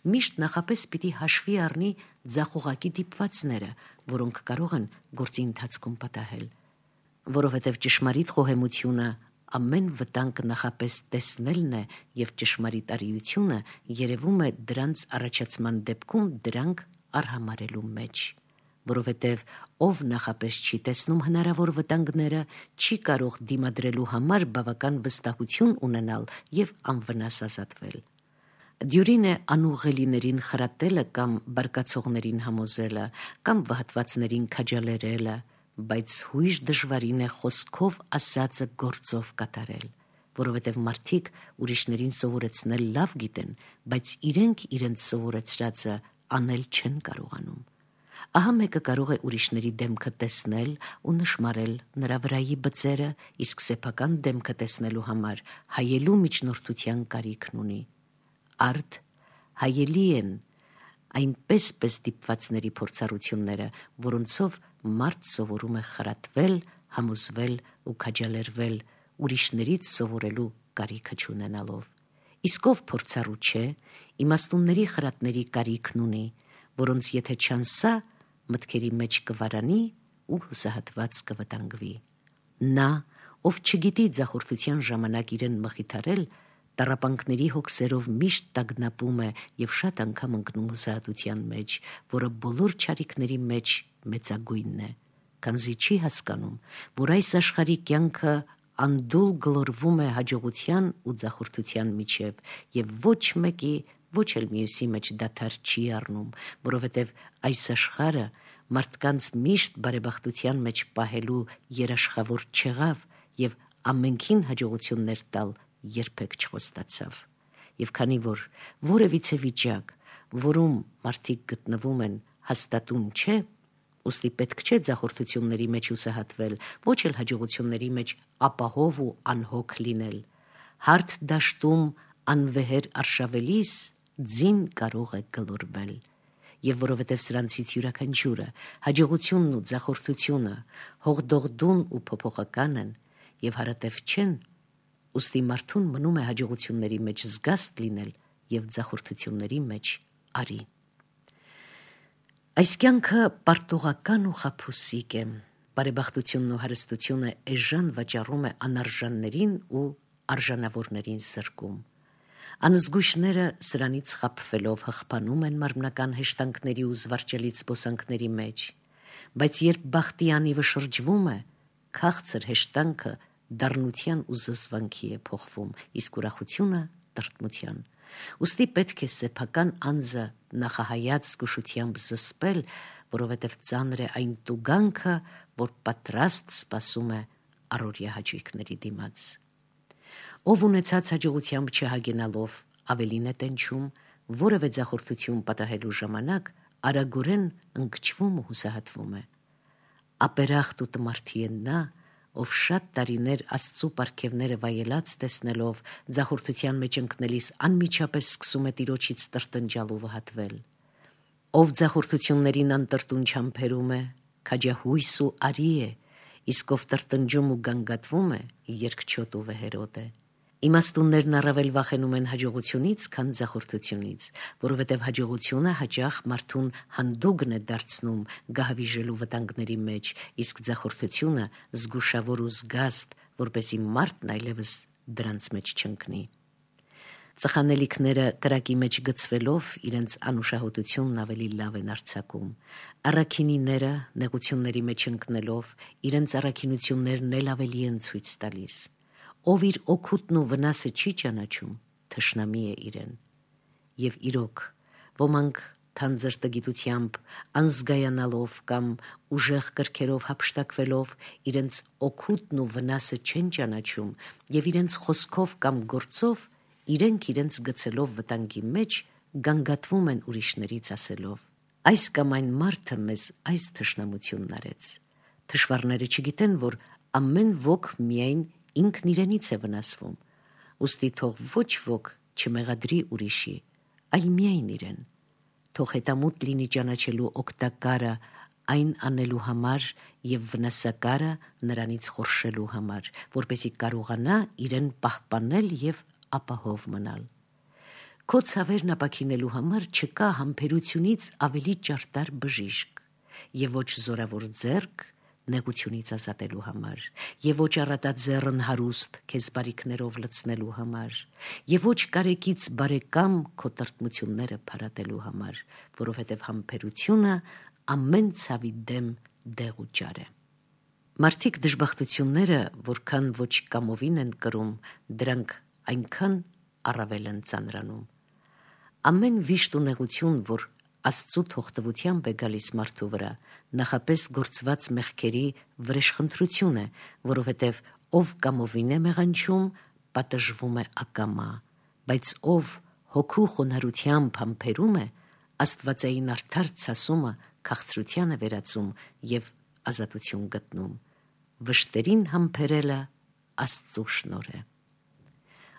միշտ նախապես պիտի հաշվի առնի ձախողակի դիպվածները, որոնք կարող են գործի ընթացքում պատահել, որովհետև ճշմարիտ խոհեմությունը ամեն վտանգ նախապես տեսնելն է եւ ճշմարիտ արիությունը երևում է դրանց առաջացման դեպքում դրանք արհամարելու մեջ, որովհետև ով նախապես չի տեսնում հնարավոր վտանգները, չի կարող դիմադրելու համար բավական վստահություն ունենալ եւ անվնաս ազատվել։ Դյուրին է անուղղելիներին խրատելը կամ բարկացողներին համոզելը, կամ վհատվածներին քաջալերելը, բայց հույժ դժվարին է խոսքով ասածը գործով կատարել, որովհետև մարդիկ ուրիշներին սովորեցնել լավ գիտեն, բայց իրենք իրենց սովորեցրածը անել չեն կարողանում։ Ահա մեկը կարող է ուրիշների դեմքը տեսնել ու նշմարել նրա վրայի բծերը, իսկ սեփական դեմքը տեսնելու համար հայելու միջնորդության կարիքն ունի։ Արդ հայելի են այնպես դիպվածների փորձառությունները, որոնցով մարդ սովորում է խրատվել, համոզվել ու քաջալերվել, ուրիշներից սովորելու կարիքը չունենալով։ Իսկ ով փորձառու չէ, իմաստունների խրատների կարիքն ունի, որոնց եթե չանսա, մտքերի մեջ կվարանի ու հուսահատված կվտանգվի։ Նա, ով չգիտի ձախորդության ժամանակ իրեն մխիթարել, տառապանքների հոգսերով միշտ տագնապում է եւ շատ անգամ ընկնում հուսահատության մեջ, որը բոլոր չարիքների մեջ մեծագույնն է, քանզի չի հասկանում, որ այս աշխարհի կյանքը անդուլ գլորվում է հաջողության ու ձախորդության միջև եւ ոչ մեկի, ոչ էլ մյուսի մեջ դադար չի առնում, որովհետեւ այս աշխարհը մարդկանց միշտ բարեբախտության մեջ պահելու երաշխավոր չեղավ եւ ամենքին հաջողություններ տալ երբեք չխոստացավ։ Եվ քանի որ որևիցե վիճակ, որում մարդիկ գտնվում են, հաստատուն չէ, ուստի պետք չէ ձախորդությունների մեջ հուսահատվել, ոչ էլ հաջողությունների մեջ ապահով ու անհոգ լինել։ Հարթ դաշտում անվեհեր արշավելիս ձին կարող է գլորվել։ Եվ որովհետև սրանցից յուրաքանչյուրը, հաջողությունն ու ձախորդությունը հողդողդուն ու փոփոխական են և հարատև չեն, ուստի մարդուն մնում է հաջողությունների մեջ զգաստ լինել և ձախորդությունների մեջ արի։ Այս կյանքը պարտողական ու խաբուսիկ է, բարեբախտությունն ու հարստությունը էժան վաճառում է անարժաններին ու արժանավորներին զրկում։ Անզգույշները սրանից խաբվելով հղբանում են մարմնական հեշտանքների ու զվարճալից զբոսանքների մեջ, բայց երբ բախտի անիվը շրջվում է, քաղցր հեշտանքը դառնության ու զզվանքի է փոխվում, իսկ ուրախությունը տրտմության։ Ուստի պետք է սեփական անձը նախահայաց զգուշությամբ զսպել, որովհետև ծանր է այն տուգանքը, որ պատրաստ սպասում է առօրյա հաճույքների դիմաց։ Ով ունեցած հաջողությամբ չհագենալով ավելին է տենչում, որևէ ձախորդություն պատահելու ժամանակ արագորեն ընկճվում ու հուսահատվում է։ Ապերախտ ու տմարդի է նա, ով շատ տարիներ Աստծու պարգևները վայելած տեսնելով ձախորդության մեջ ընկնելիս անմիջապես սկսում է Տիրոջից տրտնջալ ու վհատվել։ Ով ձախորդություններին անտրտուն չամփերում է, քաջահույս ու արի է, իսկ ով տրտնջում ու գանգատվում է, երկչոտ ու վեհերոտ է։ Իմաստուններն առավել վախենում են հաջողությունից, քան ձախորդությունից, որովհետև հաջողությունը հաճախ մարդուն հանդուգն է դարձնում գահավիժելու վտանգների մեջ, իսկ ձախորդությունը զգուշավոր ու զգաստ, որպեսզի մարդն այլևս դրանց մեջ չընկնի։ Ծխանելիքները կրակի մեջ գցվելով իրենց անուշահոտությունն ավելի լավ են արձակում։ Առաքինիները նեղությունների մեջ ընկնելով իրենց առաքինություններն էլ ավելի են ցույց տալիս։ Ով իր օգուտն ու վնասը չի ճանաչում, թշնամի է իրեն։ Եվ իրոք, ոմանք թանձր տգիտությամբ, անզգայանալով կամ ուժեղ կրքերով հափշտակվելով իրենց օգուտն ու վնասը չեն ճանաչում և իրենց խոսքով կամ գործով իրենք իրենց գցելով վտանգի մեջ գանգատվում են ուրիշներից ասելով. այս կամ այն մարդը մեզ այս թշնամությունն արեց։ Թշվառները չգիտեն, որ ամեն ոք միայն ինքն իրենից է վնասվում, ուստի թող ոչ ոք չմեղադրի ուրիշի, այլ միայն իրեն։ Թող հետամուտ լինի ճանաչելու օգտակարը այն անելու համար և վնասակարը նրանից խորշելու համար, որպեսզի կարողանա իրեն պահպանել և ապահով մնալ։ Քո ցավերն ապաքինելու համար չկա համբերությունից ավելի ճարտար բժիշկ, և ոչ զորավոր ձեռք նեղությունից ազատելու համար, և ոչ առատաձեռն հարուստ քեզ բարիքներով լցնելու համար, և ոչ կարեկից բարեկամ քո տրտմությունները փարատելու համար, որովհետև համբերությունը ամեն ցավի դեմ դեղ ու ճար է։ Մարդիկ դժբախտությունները, որքան ոչ կամովին են կրում, դրանք այնքան առավել են ծանրանում։ Ամեն վիշտ ու նեղություն, որ Աստծու թողտվությամբ է գալիս մարդու վրա, նախապես գործված մեղքերի վրեժխնդրություն է, որովհետև ով կամովին է մեղանչում, պատժվում է ակամա, բայց ով հոգու խոնարհությամբ համբերում է, աստվածային արդար ցասումը քաղցրության է վերածում և ազատություն գտնում։ Վշտերին համբերելը Աստծու շնորհ է։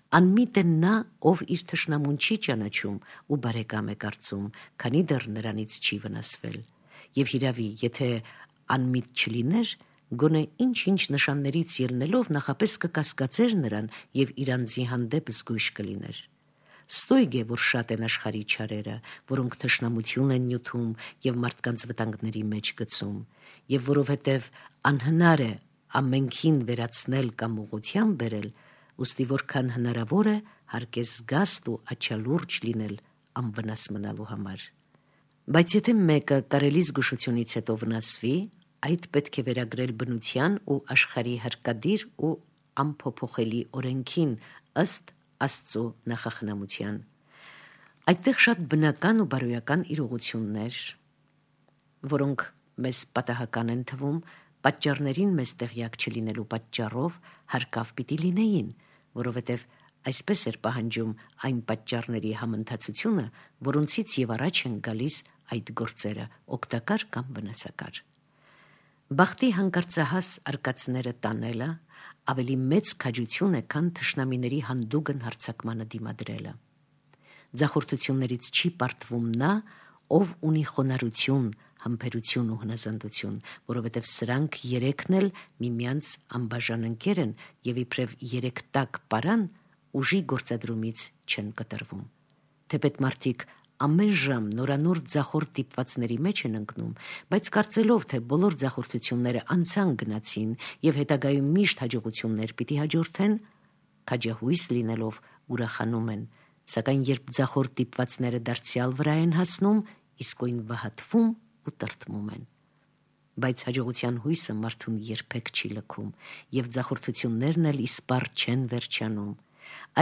Անմիտ է նա, ով իր թշնամուն չի ճանաչում ու բարեկամ է կարծում, քանի դեռ նրանից չի վնասվել։ Եվ հիրավի, եթե անմիտ չլիներ, գոնե ինչ-ինչ նշաններից ելնելով նախապես կկասկածեր նրան և իր անձի հանդեպ զգույշ կլիներ։ Ստույգ է, որ շատ են աշխարհի չարերը, որոնք թշնամություն են նյութում և մարդկանց վտանգների մեջ գցում, և որովհետև անհնար է ամենքին վերացնել կամ ուղղության բերել, ուստի որքան հնարավոր է, հարկ է զգաստ ու աչալուրջ լինել անվնաս մնալու համար։ Բայց եթե մեկը կարելի զգուշությունից հետո վնասվի, այդ պետք է վերագրել բնության ու աշխարհի հարկադիր ու անփոփոխելի օրենքին ըստ Աստծու նախախնամության։ Այդտեղ շատ բնական ու բարոյական իրողություններ, որոնք մեզ պատահական են թվում, պատճառներին մեզ տեղյակ չլինելու պատճառով հարկավ պիտի լինեին, որովհետև այսպես էր պահանջում այն պատճառների համընթացությունը, որոնցից և առաջ են գալիս այդ գործերը, օգտակար կամ վնասակար։ Բախտի հանկարծահաս արկածները տանելը ավելի մեծ քաջություն է, քան թշնամիների հանդուգն հարձակմանը դիմադրելը։ Ձախորդություններից չի պարտվում նա, ով ունի խոնարհություն, համբերություն ու հնազանդություն, որովհետև սրանք երեքն էլ միմյանց անբաժան ընկեր են եւ իբրև երեք տակ պարան ուժի գործադրումից չեն կտրվում։ Թեպետ մարդիկ ամեն ժամ նորանոր ձախորդ դիպվածների մեջ են ընկնում, բայց կարծելով, թե բոլոր ձախորդությունները անցան գնացին եւ հետագայում միշտ հաջողություններ պիտի հաջորդեն, քաջահույս լինելով ուրախանում են, սակայն երբ ձախորդ դիպվածները դարձյալ վրա են հասնում, իսկույն վհատվում ու տրտմում են։ Բայց հաջողության հույսը մարդուն երբեք չի լքում եւ ձախորդություններն էլ իսպառ չեն վերջանում։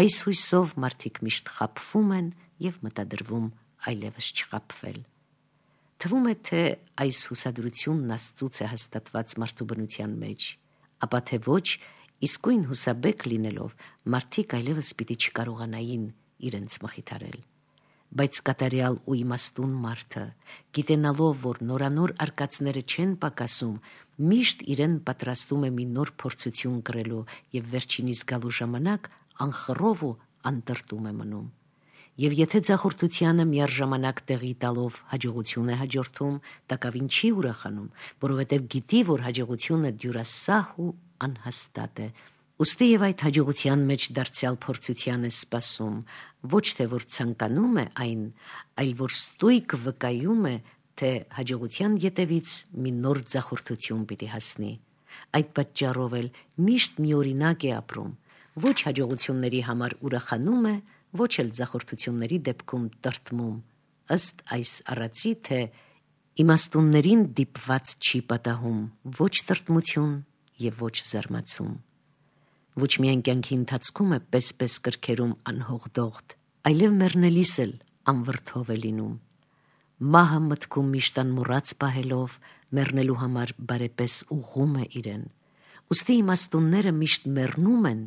Այս հույսով մարդիկ միշտ խաբվում են եւ մտադրվում այլևս չխաբվել։ Թվում է, թե այս հուսադրությունն Աստծուց է հաստատված մարդու բնության մեջ, ապա թե ոչ, իսկույն հուսաբեկ լինելով մարդիկ այլևս պիտի չկարողանային իրենց մխիթարել։ Բայց կատարյալ ու իմաստուն մարդը, գիտենալով, որ նորանոր արկածները չեն պակասում, միշտ իրեն պատրաստում է մի նոր փորձություն կրելու եւ վերջինիս գալու ժամանակ անխռով ու անտրտում է մնում։ Եվ եթե ձախորդությանը միառժամանակ տեղի տալով հաջողություն է հաջորդում, տակավին չի ուրախանում, որովհետև գիտի, որ հաջողությունը դյուրասահ ու անհաստատ է։ Ուստի եւ այդ հաջողության մեջ դարձյալ փորձության է սպասում, ոչ թե որ ցանկանում է այն, այլ որ ստույգ վկայում է, թե հաջողության ետևից մի նոր ձախորդություն պիտի հասնի։ Այդ պատճառով էլ միշտ միօրինակ է ապրում, ոչ հաջողությունների համար ուրախանում է, ոչ էլ ձախորդությունների դեպքում տրտմում, ըստ այս առածի, թե իմաստուններին դիպված չի պատահում ոչ տրտմություն եւ ոչ զարմացում։ Ոչ միայն կյանքի ընթացքում է պես-պես կրքերում անհողդողդ, այլև մեռնելիս էլ անվրդով է լինում։ Մահը մտքում միշտ անմոռաց պահելով, մեռնելու համար բարեպես ուղղում է իրեն։ Ուստի իմաստունները միշտ մեռնում են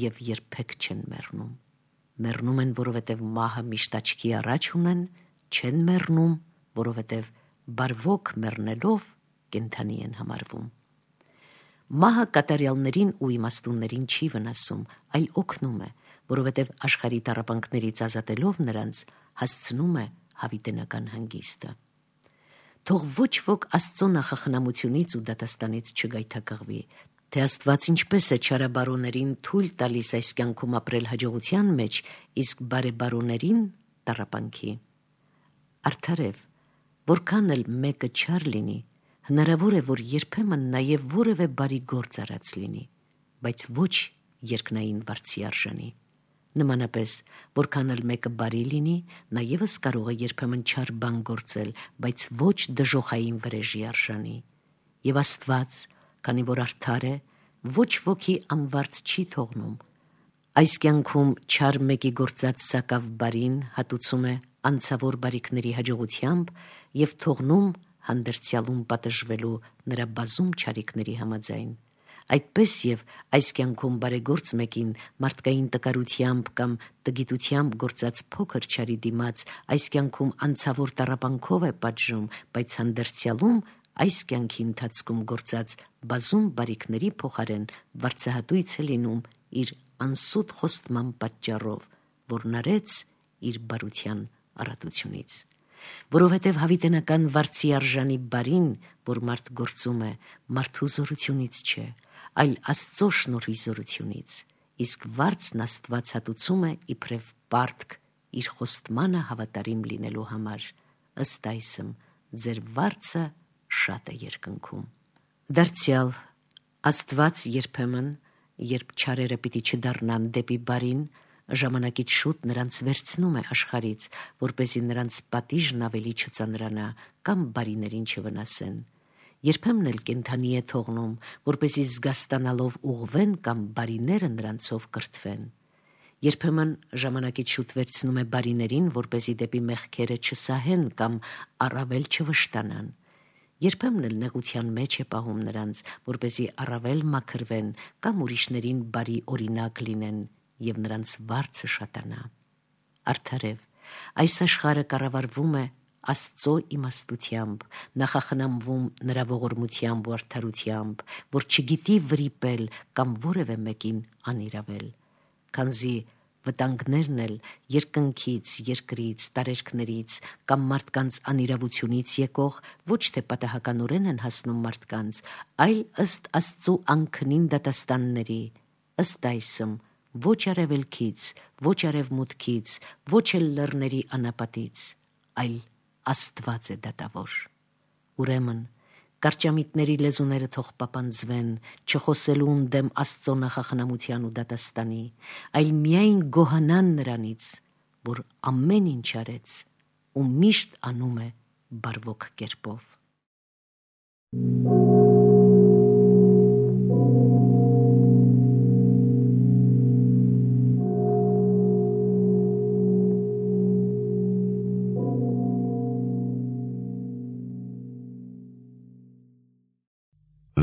եւ երբեք չեն մեռնում։ Մեռնում են, որովհետև մահը միշտ աչքի առաջ ունեն, չեն մեռնում, որովհետև բարվոք մեռնելով կենդանի են համարվում։ Մահը կատարյալներին ու իմաստուններին չի վնասում, այլ օգնում է, որովհետև աշխարհի տառապանքներից ազատելով նրանց հասցնում է հավիտենական հանգիստը։ Թող ոչ ոք Աստծո նախախնամությունից ու դատաստանից չգայթակղվի, թե Աստված ինչպես է չարաբարոներին թույլ տալիս այս կյանքում ապրել հաջողության մեջ, իսկ բարեբարոներին տառապանքի։ Արդարև, որքան էլ մեկը չար լինի, հնարավոր է, որ երբեմն նաև որևէ բարի գործ արած լինի, բայց ոչ երկնային վարձի արժանի։ Նմանապես, որքան էլ մեկը բարի լինի, նա ևս կարող է երբեմն չար բան գործել, բայց ոչ դժոխային վրեժի արժանի։ Եվ Աստված, քանի որ արդար է, ոչ ոքի անվարձ չի թողնում։ Այս կյանքում չար մեկի գործած սակավ բարին հատուցում է անցավոր բարիքների հաջողությամբ եւ թողնում հանդերձյալում պատժվելու նրա բազում չարիքների համաձայն։ Այդպես եւ այս կյանքում բարեգործ մեկին մարդկային տկարությամբ կամ տգիտությամբ գործած փոքր չարի դիմաց այս կյանքում անցավոր տառապանքով է պատժում, բայց հանդերձյալում այս կյանքի ընթացքում գործած բազում բարիքների փոխարեն վարձահատույց է լինում իր անսուտ խոստման պատճառով, որն արեց իր բարության առատությունից։ Որովհետև հավիտենական վարձի արժանի բարին, որ մարդ գործում է, մարդու զորությունից չէ, այլ Աստծո շնորհի զորությունից, իսկ վարձն Աստված հատուցում է իբրև պարտք իր խոստմանը հավատարիմ լինելու համար, ըստ այսմ ձեր վարձը շատ է երկնքում։ Դարձյալ Աստված երբեմն, երբ չարերը պիտի չդառնան դեպի բարին, ժամանակից շուտ նրանց վերցնում է աշխարից, որպեսզի նրանց պատիժն ավելի չծանրանա կամ բարիներին չվնասեն։ Երբեմն էլ կենդանի է թողնում, որպեսզի զգաստանալով ուղղվեն կամ բարիները նրանցով կրթվեն։ Երբեմն ժամանակից շուտ վերցնում է բարիներին, որպեսզի դեպի մեղքերը չսահեն կամ առավել չվշտանան։ Երբեմն էլ նեղության մեջ է պահում նրանց, որպեսզի առավել մաքրվեն կամ ուրիշներին բարի օրինակ լինեն եւ նրանց վարձը շատանա։ Արդարև, այս աշխարհը կառավարվում է Աստծո իմաստությամբ, նախախնամվում նրա ողորմությամբ ու արդարությամբ, որ չգիտի վրիպել կամ որևէ մեկին անիրավել, քանզի վտանգներն էլ երկնքից, երկրից, տարերքներից կամ մարդկանց անիրավությունից եկող ոչ թե պատահականորեն են հասնում մարդկանց, այլ ըստ Աստծո անքնին դատաստանների, ըստ այսմ ոչ արևելքից, ոչ արևմուտքից, ոչ էլ լեռների անապատից, այլ Աստված է դատավոր։ Ուրեմն, կարճամիտների լեզուները թող պապանձվեն, չխոսելուն դեմ Աստծո նախախնամության ու դատաստանի, այլ միայն գոհանան նրանից, որ ամեն ինչ արեց ու միշտ անում է բարվոք կերպով։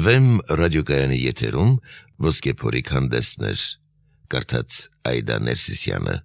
Վեմ ռադիոկայանի եթերում ոսկե փորիկ հանդեսներ, կարդաց Այդա Ներսիսյանը։